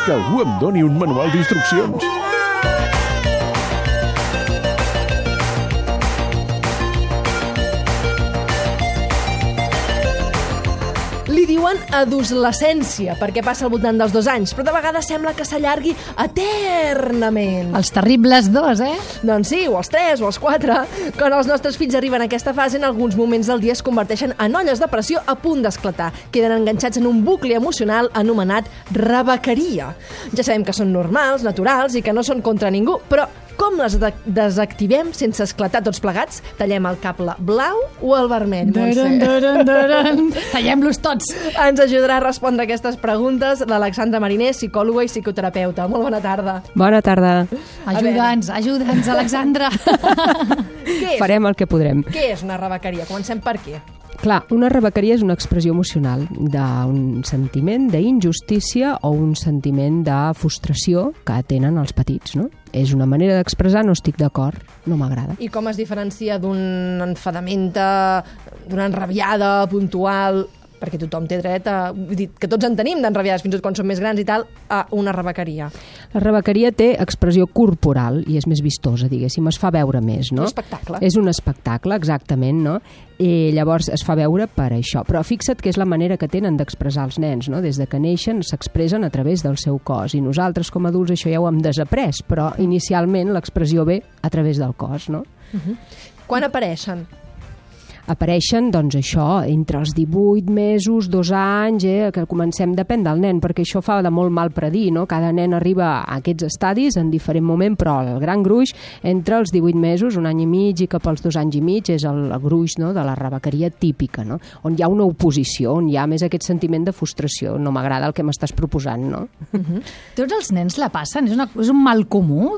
que algú em doni un manual d'instruccions. Li diuen adolescència, perquè passa al voltant dels 2 anys, però de vegades sembla que s'allargui eternament. Els terribles 2, Doncs sí, o els 3, o els 4. Quan els nostres fills arriben a aquesta fase, en alguns moments del dia es converteixen en olles de pressió a punt d'esclatar. Queden enganxats en un bucle emocional anomenat rebequeria. Ja sabem que són normals, naturals i que no són contra ningú, però com les desactivem sense esclatar tots plegats? Tallem el cable blau o el vermell, Montse? Tallem-los tots. Ens ajudarà a respondre aquestes preguntes l'Alexandra Mariner, psicòloga i psicoterapeuta. Molt bona tarda. Bona tarda. Ajuda'ns, Alexandra. Farem el que podrem. Què és una rebequeria? Comencem per què? Clar, una rebequeria és una expressió emocional d'un sentiment d'injustícia o un sentiment de frustració que tenen els petits, no? És una manera d'expressar no estic d'acord, no m'agrada. I com es diferencia d'un enfadamenta, d'una enrabiada puntual, perquè tothom té dret a... Vull dir, que tots en tenim d'enrabiades, fins i tot quan som més grans i tal, a una rebequeria. La rebequeria té expressió corporal i és més vistosa, diguéssim, es fa veure més, no? Un espectacle. És un espectacle, exactament, no? I llavors es fa veure per això. Però fixa't que és la manera que tenen d'expressar els nens, no? Des de que neixen s'expressen a través del seu cos i nosaltres com a adults això ja ho hem desaprès, però inicialment l'expressió ve a través del cos, no? Quan apareixen? Apareixen, doncs, això, entre els 18 mesos, 2 anys, que comencem, depèn del nen, perquè això fa de molt mal predir, no? Cada nen arriba a aquests estadis en diferent moment, però el gran gruix, entre els 18 mesos, 1 any i mig i cap als 2 anys i mig, és el gruix, no?, de la rebequeria típica, no? On hi ha una oposició, on hi ha més aquest sentiment de frustració. No m'agrada el que m'estàs proposant, no? Tots els nens la passen? És un mal comú?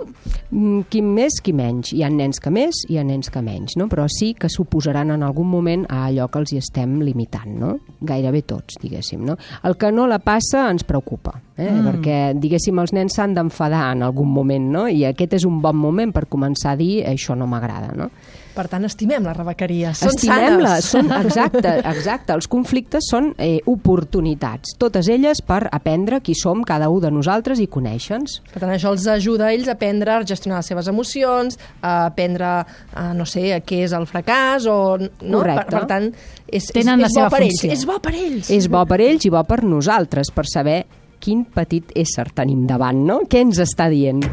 Qui més, qui menys. Hi ha nens que més, hi ha nens que menys, no? Però sí que s'oposaran en algun moment a allò que els hi estem limitant, no? Gairebé tots, diguéssim, no? El que no la passa ens preocupa, perquè, diguéssim, els nens s'han d'enfadar en algun moment, no? I aquest és un bon moment per començar a dir això no m'agrada, no? Per tant, estimem la rebequeria. Són Estimem-la, sanes. exacte. Els conflictes són oportunitats, totes elles per aprendre qui som cada un de nosaltres i conèixer-nos. Per tant, això els ajuda a ells a aprendre a gestionar les seves emocions, a aprendre, no sé, què és el fracàs, o... No? Correcte. Per tant, és Tenen la bo seva per funció. ells. És bo per ells. És bo per ells i bo per nosaltres, per saber quin petit ésser tenim davant, no? Què ens està dient?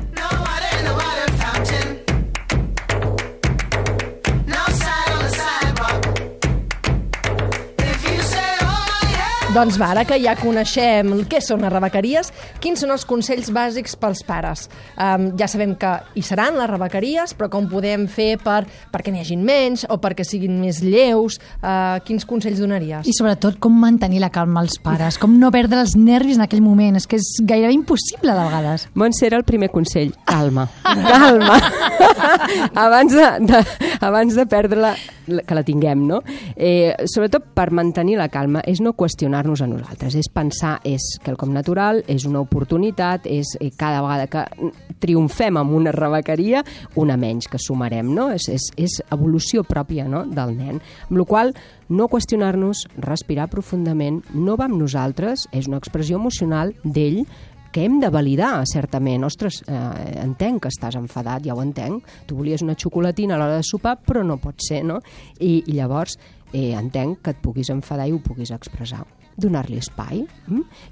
Doncs va, ara que ja coneixem què són les rebequeries, quins són els consells bàsics pels pares? Ja sabem que hi seran les rebequeries, però com podem fer perquè n'hi hagin menys o perquè siguin més lleus? Quins consells donaries? I sobretot com mantenir la calma als pares, com no perdre els nervis en aquell moment. És que és gairebé impossible de vegades. Montse, era el primer consell. Calma. Calma. abans de perdre-la, que la tinguem, no? Sobretot per mantenir la calma és no qüestionar-nos a nosaltres, és pensar, és quelcom natural, és una oportunitat, és cada vegada que triomfem amb una rebequeria, una menys que sumarem, no? És evolució pròpia, no?, del nen. Amb la qual cosa, no qüestionar-nos, respirar profundament, no va amb nosaltres, és una expressió emocional d'ell que hem de validar, certament. Ostres, entenc que estàs enfadat, ja ho entenc. Tu volies una xocolatina a l'hora de sopar, però no pot ser, no? I llavors entenc que et puguis enfadar i ho puguis expressar. Donar-li espai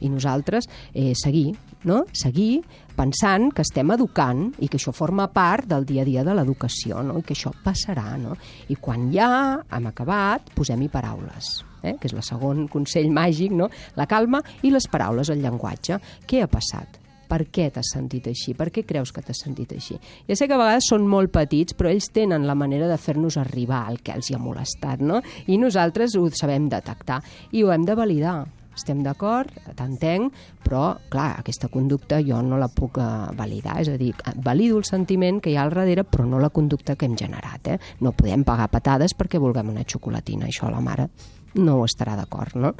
i nosaltres seguir, no? Seguir pensant que estem educant i que això forma part del dia a dia de l'educació, no? I que això passarà, no? I quan ja hem acabat, posem-hi paraules, que és el segon consell màgic, no? La calma i les paraules, el llenguatge. Què ha passat? Per què t'has sentit així? Per què creus que t'has sentit així? Ja sé que a vegades són molt petits, però ells tenen la manera de fer-nos arribar el que els hi ha molestat, no? I nosaltres ho sabem detectar i ho hem de validar. Estem d'acord, t'entenc, però, clar, aquesta conducta jo no la puc validar. És a dir, valido el sentiment que hi ha al darrere, però no la conducta que hem generat. No podem pagar patades perquè vulguem una xocolatina. Això la mare no ho estarà d'acord, no?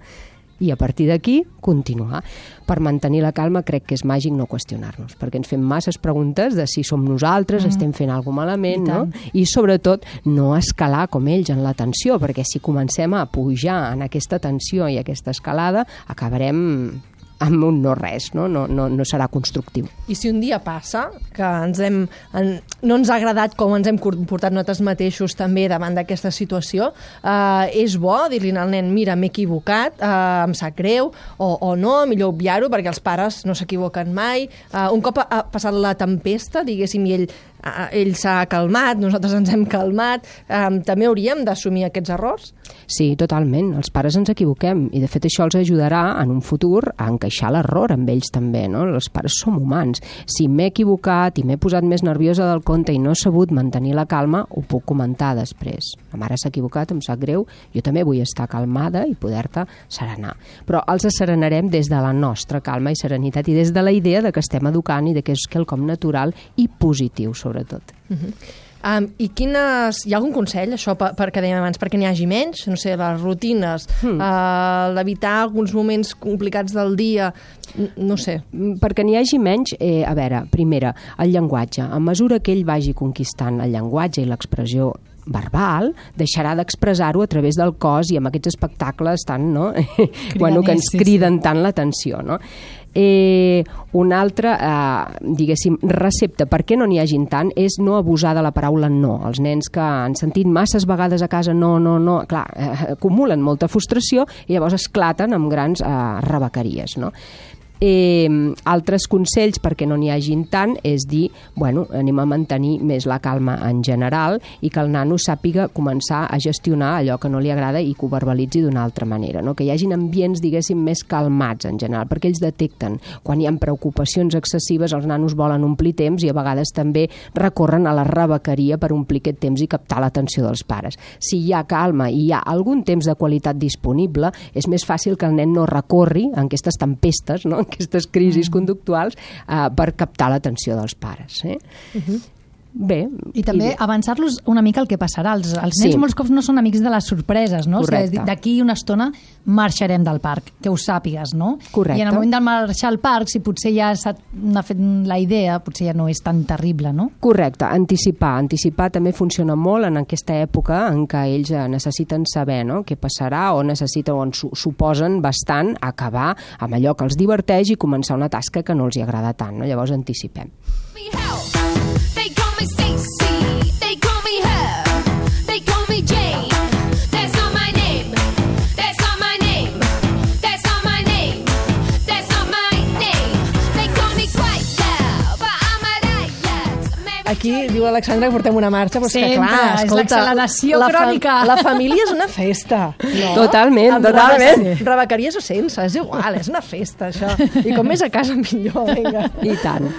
I a partir d'aquí, continuar. Per mantenir la calma crec que és màgic no qüestionar-nos, perquè ens fem masses preguntes de si som nosaltres, estem fent alguna cosa malament, no? I sobretot no escalar com ells en la tensió, perquè si comencem a pujar en aquesta tensió i aquesta escalada, acabarem amb un no res, no serà constructiu. I si un dia passa que no ens ha agradat com ens hem comportat nosaltres mateixos també davant d'aquesta situació, és bo dir-li al nen, mira, m'he equivocat, em sap greu, o no, millor obviar-ho, perquè els pares no s'equivoquen mai. Un cop ha passat la tempesta, diguéssim, i ell s'ha calmat, nosaltres ens hem calmat, també hauríem d'assumir aquests errors? Sí, totalment. Els pares ens equivoquem i de fet això els ajudarà en un futur a encaixar l'error amb ells també, no? Els pares som humans. Si m'he equivocat i m'he posat més nerviosa del compte i no he sabut mantenir la calma, ho puc comentar després. La mare s'ha equivocat, em sap greu, jo també vull estar calmada i poder-te serenar. Però els asserenarem des de la nostra calma i serenitat i des de la idea de que estem educant i de que és quelcom natural i positiu, sobretot. I hi ha algun consell, això, perquè dèiem abans, perquè n'hi hagi menys? No sé, les rutines, d'evitar alguns moments complicats del dia, no sé. Perquè n'hi hagi menys, a veure, primera, el llenguatge. A mesura que ell vagi conquistant el llenguatge i l'expressió verbal, deixarà d'expressar-ho a través del cos i amb aquests espectacles tan, no? Que ens criden tant l'atenció, no? Una altra, diguéssim, recepta perquè no n'hi hagin tant és no abusar de la paraula no. Els nens que han sentit masses vegades a casa no, clar, acumulen molta frustració i llavors esclaten amb grans rebequeries, no? Altres consells perquè no n'hi hagin tant és dir, anem a mantenir més la calma en general i que el nano sàpiga començar a gestionar allò que no li agrada i que ho verbalitzi d'una altra manera, no? Que hi hagin ambients, diguéssim, més calmats en general, perquè ells detecten quan hi ha preocupacions excessives, els nanos volen omplir temps i a vegades també recorren a la rebequeria per omplir aquest temps i captar l'atenció dels pares. Si hi ha calma i hi ha algun temps de qualitat disponible, és més fàcil que el nen no recorri en aquestes tempestes, no? Aquestes crisis conductuals per captar l'atenció dels pares. Bé. I també avançar-los una mica el que passarà. Els nens molts cops no són amics de les sorpreses, no? Correcte. O sigui, d'aquí una estona marxarem del parc, que ho sàpigues, no? Correcte. I en el moment de marxar al parc, si potser ja n'ha fet la idea, potser ja no és tan terrible, no? Correcte, anticipar. Anticipar també funciona molt en aquesta època en què ells necessiten saber, no?, què passarà o suposen bastant acabar amb allò que els diverteix i començar una tasca que no els hi agrada tant, no? Llavors anticipem. They call me Stacy, they call me her, they call me Jane. That's not my name, that's not my name, that's not my name, that's not my name. They call me quite loud, but I'm a riot. Aquí diu l'Alexandra que portem una marxa, però és que Sempre, clar, és escolta, l'acceleració crònica. La família és una festa. No? Totalment, Amb totalment. Rebequeries o sense, és igual, és una festa, això. I com més a casa, millor, vinga. I tant.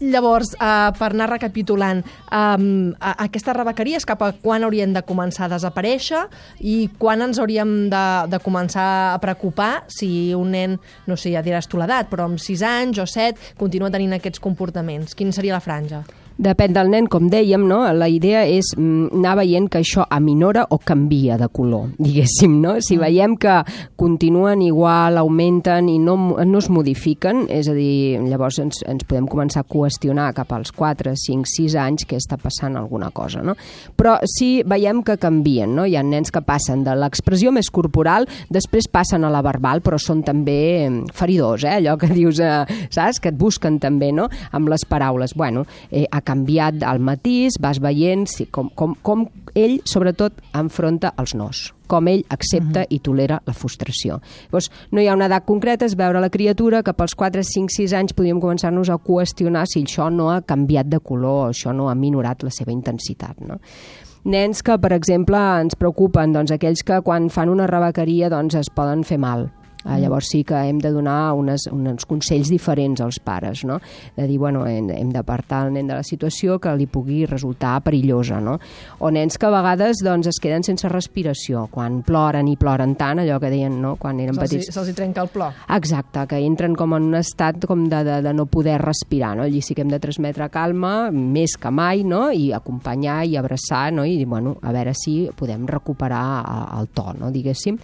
Llavors, per anar recapitulant, aquestes rebequeries cap a quan haurien de començar a desaparèixer i quan ens hauríem de començar a preocupar si un nen, no sé, ja diràs tu l'edat, però amb 6 anys o 7 continua tenint aquests comportaments. Quina seria la franja? Depèn del nen, com dèiem, no? La idea és anar veient que això aminora o canvia de color, diguéssim, no? Si veiem que continuen igual, augmenten i no es modifiquen, és a dir, llavors ens podem començar a qüestionar cap als 4, 5, 6 anys què està passant alguna cosa, no? Però si veiem que canvien, no? Hi ha nens que passen de l'expressió més corporal, després passen a la verbal, però són també feridors, allò que dius, saps? Que et busquen també, no? Amb les paraules. Bueno, ha canviat el matís, vas veient com ell, sobretot, enfronta els nos, com ell accepta i tolera la frustració. Llavors, no hi ha una edat concreta, és veure la criatura que pels 4, 5, 6 anys podríem començar-nos a qüestionar si això no ha canviat de color o això no ha minorat la seva intensitat, no? Nens que, per exemple, ens preocupen, doncs aquells que quan fan una rebequeria doncs es poden fer mal. Llavors sí que hem de donar uns consells diferents als pares, no? De dir, bueno, hem d'apartar el nen de la situació que li pugui resultar perillosa, no? O nens que a vegades doncs, es queden sense respiració, quan ploren i ploren tant, allò que deien, no?, quan eren petits. Se'ls hi trenca el plor. Exacte, que entren com en un estat com de no poder respirar, no? Allí sí que hem de transmetre calma, més que mai, no?, i acompanyar i abraçar, no?, i dir, bueno, a veure si podem recuperar el to, no?, diguéssim.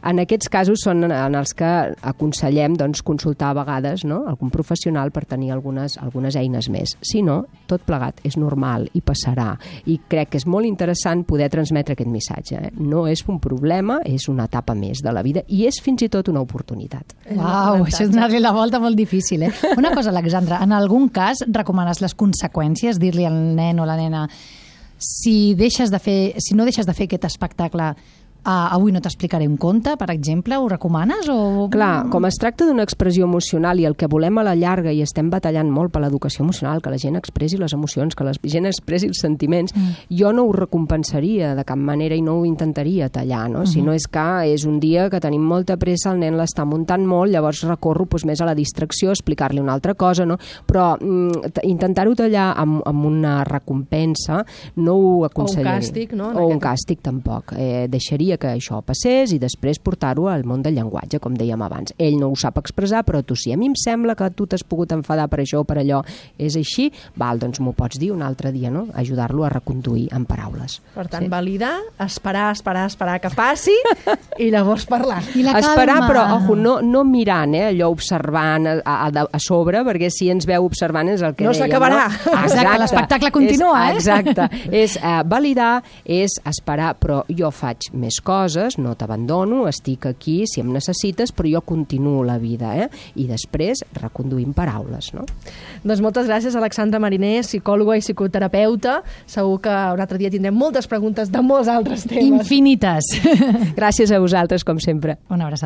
En aquests casos són en els que aconsellem doncs, consultar a vegades, no?, algun professional per tenir algunes eines més. Si no, tot plegat és normal i passarà. I crec que és molt interessant poder transmetre aquest missatge. No és un problema, és una etapa més de la vida i és fins i tot una oportunitat. Uau, això és donar-li la volta molt difícil, Una cosa, Alexandra, en algun cas recomanes les conseqüències, dir-li al nen o la nena si no deixes de fer aquest espectacle, avui no t'explicaré un conte, per exemple, ho recomanes? O... Clar, com es tracta d'una expressió emocional i el que volem a la llarga, i estem batallant molt per l'educació emocional, que la gent expressi les emocions, que la gent expressi els sentiments, jo no ho recompensaria de cap manera i no ho intentaria tallar, no? Si no és que és un dia que tenim molta pressa, el nen l'està muntant molt, llavors recorro més a la distracció, explicar-li una altra cosa, no? Però intentar-ho tallar amb una recompensa no ho aconsellaria. O un càstig, no? O un càstig, tampoc. Deixaria que això passés i després portar-ho al món del llenguatge, com dèiem abans. Ell no ho sap expressar, però tu sí. A mi em sembla que tu t'has pogut enfadar per això o per allò. És així? Val, doncs m'ho pots dir un altre dia, no? Ajudar-lo a reconduir en paraules. Per tant, validar, esperar que passi i llavors parlar. I la calma. Esperar, però, ojo, no mirant, allò observant a sobre, perquè si ens veu observant és el que no dèiem. S'acabarà. No? Exacte, l'espectacle continua, Exacte. És validar, és esperar, però jo faig més coses, no t'abandono, estic aquí si em necessites, però jo continuo la vida, I després reconduïm paraules, no? Doncs moltes gràcies, Alexandra Mariner, psicòloga i psicoterapeuta. Segur que un altre dia tindrem moltes preguntes de molts altres temes. Infinites. Gràcies a vosaltres, com sempre. Una abraçada.